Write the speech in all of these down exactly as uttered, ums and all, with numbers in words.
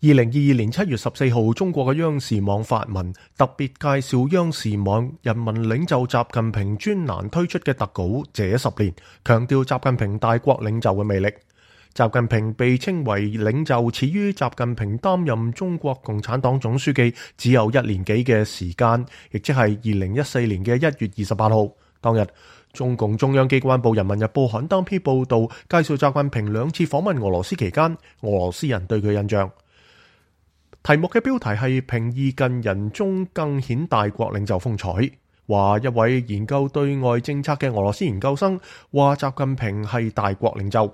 二零二二年七月十四號，中國嘅央視網發文，特別介紹央視網人民領袖習近平專欄推出嘅特稿《這十年》，強調習近平大國領袖嘅魅力。習近平被稱為領袖，始於習近平擔任中國共產黨總書記只有一年幾嘅時間，亦即係二零一四年嘅一月二十八號。當日，中共中央機關報《人民日報》刊登篇報道，介紹習近平兩次訪問俄羅斯期間，俄羅斯人對佢印象。題目嘅標題係平易近人中更顯大國領袖風采，話一位研究對外政策嘅俄羅斯研究生話習近平係大國領袖。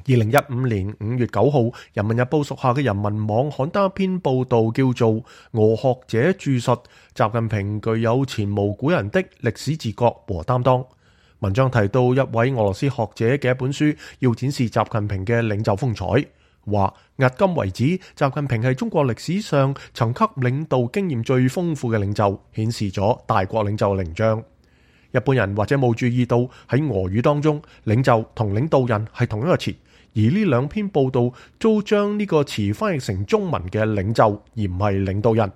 二零一五年五月九號，《人民日報》屬下嘅人民網刊登一篇報道，叫做《俄學者注述習近平具有前無古人的歷史自覺和擔當》。文章提到一位俄羅斯學者嘅一本書，要展示習近平嘅領袖風采。話迄今為止，習近平係中國歷史上層級領導經驗最豐富嘅領袖，顯示咗大國領袖嘅形象。一般人或者冇注意到喺俄語當中，領袖同領導人係同一個詞，而呢兩篇報道都將呢個詞翻譯成中文嘅領袖，而唔係領導人。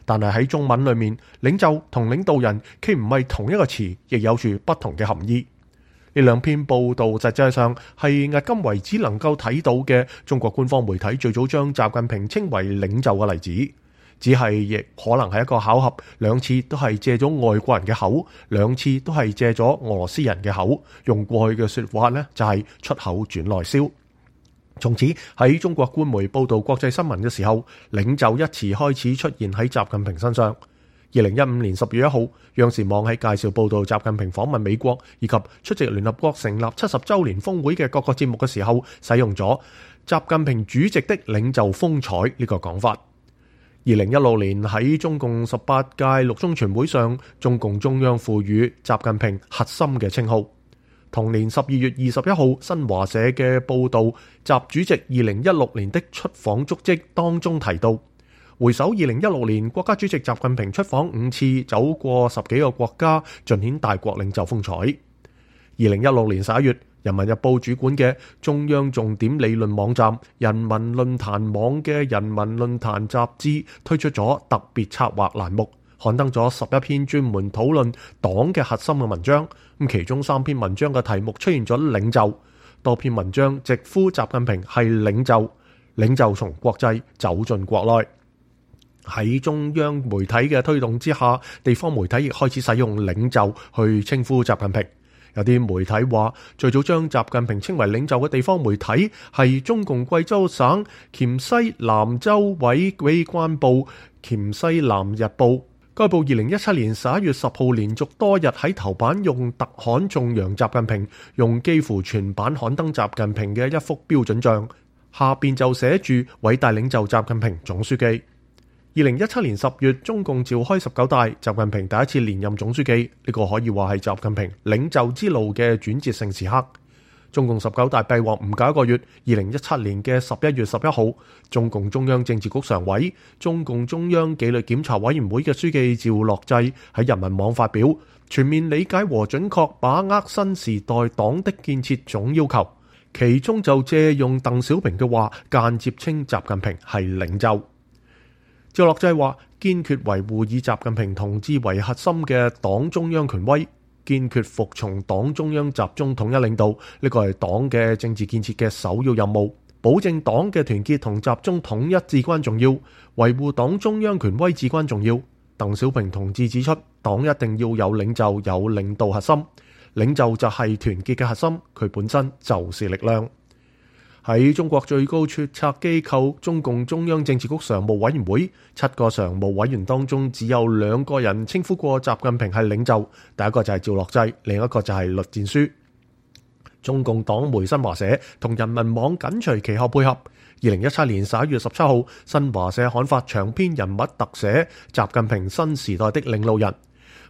但係喺中文裏面，領袖同領導人既唔係同一個詞，亦有住不同嘅含義。呢兩篇報道實際上係迄今為止能夠睇到嘅中國官方媒體最早將習近平稱為領袖嘅例子，只係亦可能係一個巧合，兩次都係借咗外國人嘅口，兩次都係借咗俄羅斯人嘅口，用過去嘅說話呢，就係出口轉內銷。從此喺中國官媒報道國際新聞嘅時候，領袖一詞開始出現喺習近平身上。二零一五年十月一號，央視網喺介紹報道習近平訪問美國以及出席聯合國成立七十週年峰會嘅各個節目嘅時候，使用咗習近平主席的領袖風采呢個講法。二零一六年喺中共十八屆六中全會上，中共中央賦予習近平核心嘅稱號。同年十二月二十一號，新華社嘅報道，習主席二零一六年的出訪足跡當中提到，回首二零一六年，國家主席習近平出訪五次，走過十幾個國家，盡顯大國領袖風采。二零一六年十一月，《人民日報》主管嘅中央重點理論網站人民論壇網嘅《人民論壇》雜誌推出咗特別策劃欄目，刊登咗十一篇專門討論黨嘅核心嘅文章。咁其中三篇文章嘅題目出現咗領袖，多篇文章直呼習近平係領袖，領袖從國際走進國內。喺中央媒體嘅推動之下，地方媒體亦開始使用領袖去稱呼習近平。有啲媒體話，最早將習近平稱為領袖嘅地方媒體係中共貴州省黔西南州委機關報黔西南日報。該報二零一七年十一月十號連續多日喺頭版用特刊頌揚習近平，用幾乎全版刊登習近平嘅一幅標準像，下邊就寫住偉大領袖習近平總書記。二零一七年十月，中共召開十九大，習近平第一次連任總書記，呢個可以話係習近平領袖之路嘅轉折性時刻。中共十九大閉幕唔夠一個月，二零一七年嘅十一月十一號，中共中央政治局常委、中共中央紀律檢查委員會嘅書記趙樂際喺人民網發表全面理解和準確把握新時代黨的建設總要求，其中就借用鄧小平嘅話，間接稱習近平係領袖。趙樂際話：堅決維護以習近平同志為核心嘅黨中央權威，堅決服從黨中央集中統一領導，呢個係黨嘅政治建設嘅首要任務。保證黨嘅團結同集中統一至關重要，維護黨中央權威至關重要。鄧小平同志指出，黨一定要有領袖，有領導核心，領袖就係團結嘅核心，佢本身就是力量。喺中國最高決策機構中共中央政治局常務委員會，七個常務委員當中只有兩個人稱呼過習近平係領袖，第一個就係趙樂際，另一個就係栗戰書。中共黨媒新華社同人民網緊隨其後配合。二零一七年十一月十七號，新華社刊發長篇人物特寫《習近平新時代的領路人》。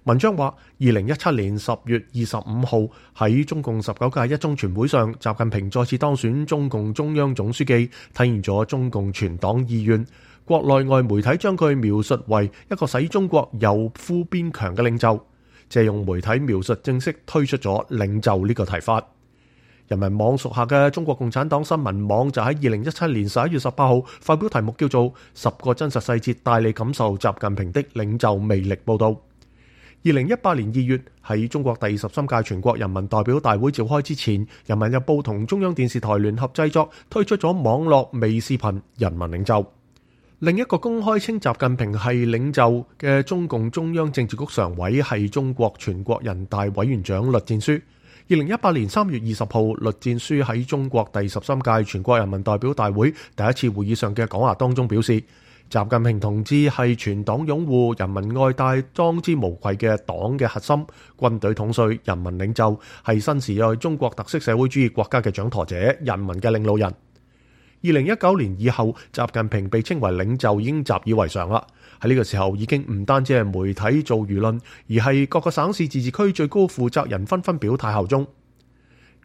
文章話，二零一七年十月二十五號喺中共十九屆一中全會上，習近平再次當選中共中央總書記，體現咗中共全黨意願。國內外媒體將佢描述為一個使中國由富變強嘅領袖，借用媒體描述正式推出咗領袖呢個提法。人民網屬下嘅中國共產黨新聞網就喺二零一七年十一月十八號發表題目叫做《十個真實細節帶你感受習近平的領袖魅力》報道。二零一八年二月，喺中國第十三屆全國人民代表大會召開之前，人民日報同中央電視台聯合製作推出咗網絡微視頻《人民領袖》。另一個公開稱習近平係領袖嘅中共中央政治局常委係中國全國人大委員長栗戰書。二零一八年三月二十號，栗戰書喺中國第十三屆全國人民代表大會第一次會議上嘅講話當中表示，習近平同志係全黨擁護、人民愛戴、當之無愧嘅黨嘅核心，軍隊統帥、人民領袖，係新時代中國特色社會主義國家嘅掌舵者、人民嘅領路人。二零一九年以後，習近平被稱為領袖已經習以為常啦。喺呢個時候，已經唔單止係媒體做輿論，而係各個省市自治區最高負責人紛紛表態效忠。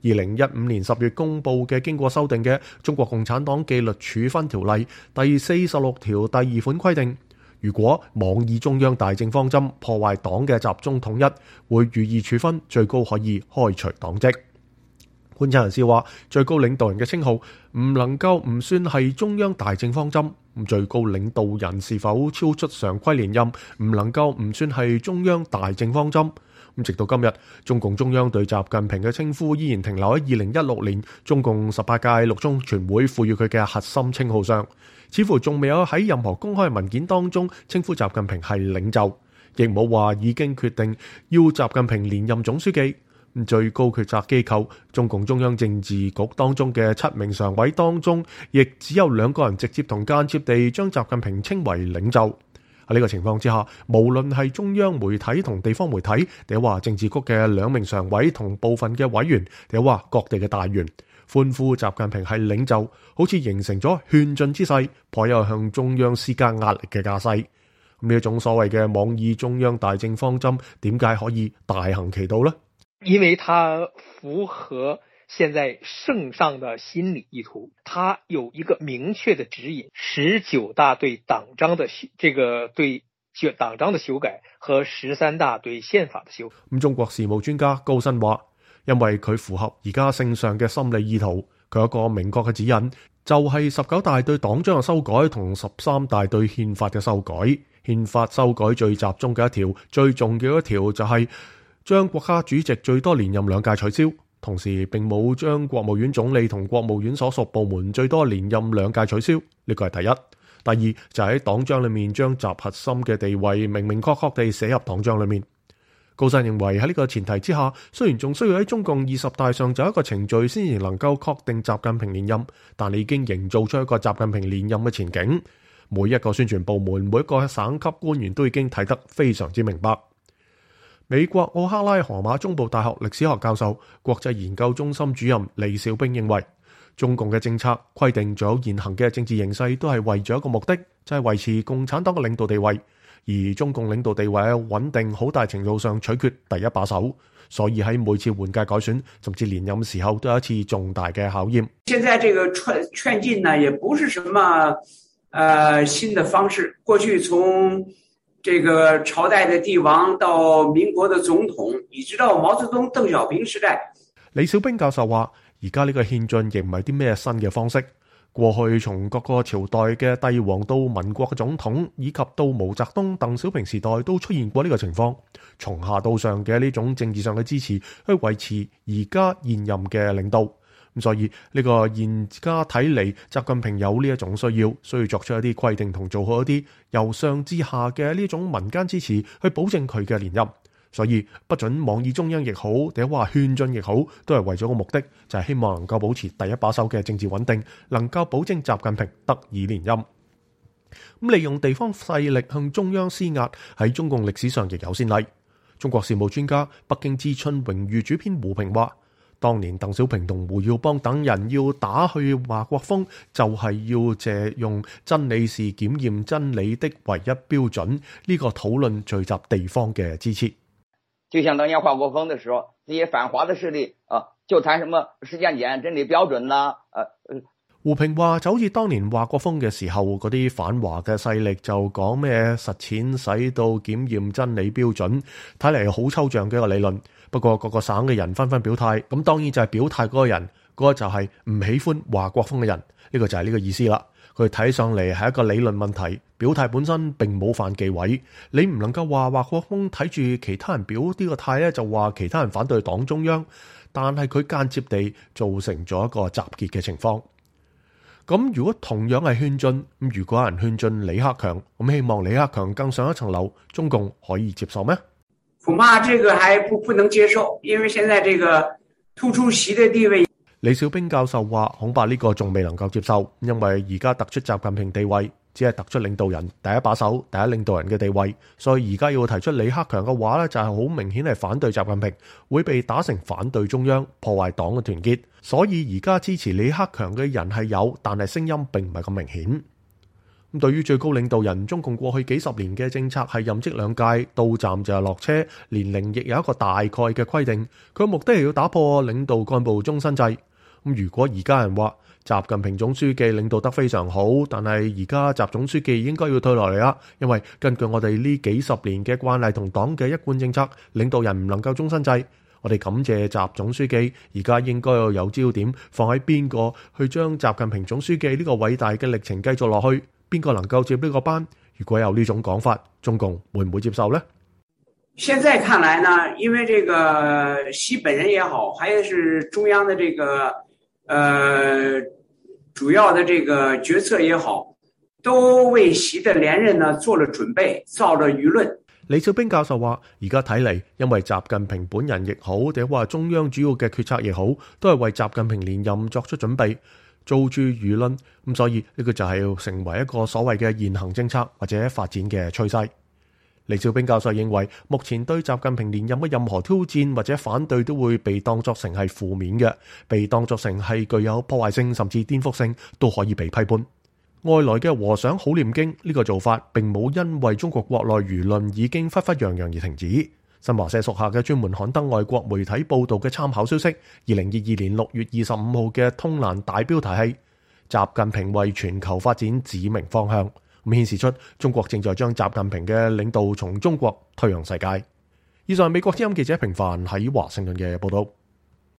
二零一五年十月公布嘅經過修訂嘅《中國共產黨紀律處分條例》第四十六條第二款規定，如果妄議中央大政方針，破壞黨嘅集中統一，會予以處分，最高可以開除黨職。觀察人士話，最高領導人嘅稱號唔能夠唔算係中央大政方針，最高領導人是否超出常規連任，唔能夠唔算係中央大政方針。直到今日，中共中央對習近平嘅稱呼依然停留喺二零一六年中共十八屆六中全會賦予佢嘅核心稱號上，似乎仲未有喺任何公開文件當中稱呼習近平係領袖，亦冇話已經決定要習近平連任總書記。最高決策機構中共中央政治局當中嘅七名常委當中，亦只有兩個人直接同間接地將習近平稱為領袖。喺呢個情況之下，無論係中央媒體同地方媒體，定係話政治局嘅兩名常委同部分嘅委員，定係話各地嘅大員，歡呼習近平係領袖，好似形成咗勸進之勢，頗有向中央施加壓力嘅架勢。呢一種所謂嘅妄議中央大政方針，點解可以大行其道呢？因為它符合現在聖上的心理意圖，它有一個明確的指引，十九大對黨章的這個對黨章的修改和十三大對憲法的修改。咁中國事務專家高新話，因為佢符合而家聖上嘅心理意圖，佢有一個明確嘅指引，就係十九大對黨章嘅修改同十三大對憲法嘅修改。憲法修改最集中嘅一條，最重要一條就係將國家主席最多連任兩屆取消，同時並冇將國務院總理同國務院所屬部門最多連任兩屆取消，呢個係第一。第二就係喺黨章裏面將習核心嘅地位明明確確地寫入黨章裏面。高新認為喺呢個前提之下，雖然仲需要喺中共二十大上就一個程序先至能夠確定習近平連任，但你已經營造出一個習近平連任嘅前景。每一個宣傳部門，每一個省級官員都已經睇得非常之明白。美國奧克拉荷馬中部大學歷史學教授、國際研究中心主任李小兵認為，中共嘅政策規定仲有現行嘅政治形勢都係為咗一個目的，就係維持共產黨嘅領導地位，而中共領導地位嘅穩定好大程度上取決第一把手，所以喺每次換屆改選甚至連任時候都有一次重大嘅考驗。現在這個勸勸進呢，也不是什麼呃新的方式，過去從這個朝代的帝王到民國的總統，一直到毛澤東、鄧小平時代。李小兵教授話，而家呢個憲進亦唔係啲咩新嘅方式。過去從各個朝代嘅帝王到民國嘅總統，以及到毛澤東、鄧小平時代都出現過呢個情況，從下到上嘅呢種政治上嘅支持去維持而家現任嘅領導。咁所以呢個現家睇嚟，習近平有呢一種需要，需要作出一啲規定同做好一啲由上至下嘅呢種民間支持，去保證佢嘅連任。所以不准妄議中央亦好，定係話勸進亦好，都係為咗個目的，就係希望能夠保持第一把手嘅政治穩定，能夠保證習近平得以連任。咁利用地方勢力向中央施壓，喺中共歷史上亦有先例。中國事務專家、北京之春榮譽主編胡平話，當年鄧小平同胡耀邦等人要打去華國鋒，就係、是、要借用真理是檢驗真理的唯一標準，呢、這個討論聚集地方嘅支持。就像當年華國鋒的時候，那些反華的勢力啊，就談什麼時間點真理標準啦、啊，呃胡平話就好似當年華國鋒嘅時候，嗰啲反華嘅勢力就講咩實踐使到檢驗真理標準，睇嚟好抽象嘅一個理論。不過各個省嘅人紛紛表態，咁當然就係表態嗰個人，嗰個就係唔喜歡華國鋒嘅人，呢個就係呢個意思啦。佢睇上嚟係一個理論問題，表態本身並冇犯忌諱。你唔能夠話華國鋒睇住其他人表呢個態咧，就話其他人反對黨中央，但係佢間接地造成咗一個集結嘅情況。咁如果同樣係勸進，咁如果有人勸進李克強，咁希望李克強更上一層樓，中共可以接受咩？恐怕這個還不不能接受，因為現在這個突出習的地位。李小兵教授話，恐怕呢個仲未能夠接受，因為而家突出習近平地位，只係突出領導人第一把手、第一領導人嘅地位，所以而家要提出李克強嘅話咧，就係好明顯係反對習近平，會被打成反對中央，破壞黨嘅團結。所以而家支持李克強嘅人係有，但係聲音並唔係咁明顯。咁對於最高領導人，中共過去幾十年嘅政策係任職兩屆，到站就係落車，年齡亦有一個大概嘅規定。佢目的係要打破領導幹部終身制。咁如果而家人話習近平總書記領導得非常好，但係而家習總書記應該要退落嚟啦，因為根據我哋呢幾十年嘅慣例同黨嘅一貫政策，領導人唔能夠終身制。我哋感謝習總書記，而家應該要有焦點放喺邊個去將習近平總書記呢個偉大嘅歷程繼續落去，邊個能夠接呢個班？如果有呢種講法，中共會唔會接受呢？現在看來呢，因為這個習本人也好，還是中央的這個呃主要的這個決策也好，都為習的連任呢做了準備，造了輿論。李小兵教授話，而家睇嚟，因為習近平本人亦好，或者話中央主要嘅決策亦好，都係為習近平連任作出準備，造住輿論。咁所以呢個就係要成為一個所謂嘅現行政策或者發展嘅趨勢。李小兵教授認為，目前對習近平連任嘅任何挑戰或者反對都會被當作成係負面嘅，被當作成係具有破壞性甚至顛覆性，都可以被批判。外來嘅和尚好念經呢個做法並冇因為中國國內輿論已經沸沸揚揚而停止。新華社屬下嘅專門刊登外國媒體報道嘅參考消息，二零二二年六月二十五號嘅通欄大標題係習近平為全球發展指明方向，咁顯示出中國正在將習近平嘅領導從中國推向世界。以上係美國之音記者平凡喺華盛頓嘅報道。